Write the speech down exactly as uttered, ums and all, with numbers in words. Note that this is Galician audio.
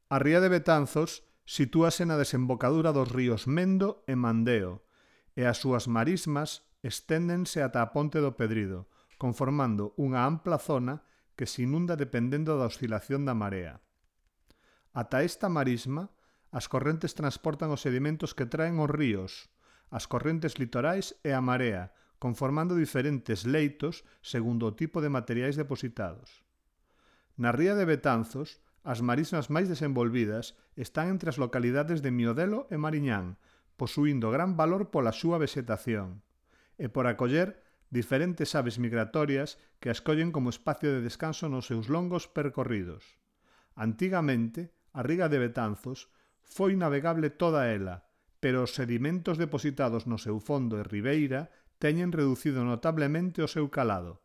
A ría de Betanzos sitúase na desembocadura dos ríos Mendo e Mandeo, e as súas marismas esténdense ata a Ponte do Pedrido, conformando unha ampla zona que se inunda dependendo da oscilación da marea. Ata esta marisma, as correntes transportan os sedimentos que traen os ríos, as correntes litorais e a marea, conformando diferentes leitos segundo o tipo de materiais depositados. Na ría de Betanzos, as marismas máis desenvolvidas están entre as localidades de Miodelo e Mariñán, posuíndo gran valor pola súa vexetación, e por acoller diferentes aves migratorias que a escollen como espacio de descanso nos seus longos percorridos. Antigamente, a ría de Betanzos foi navegable toda ela, pero os sedimentos depositados no seu fondo e ribeira teñen reducido notablemente o seu calado.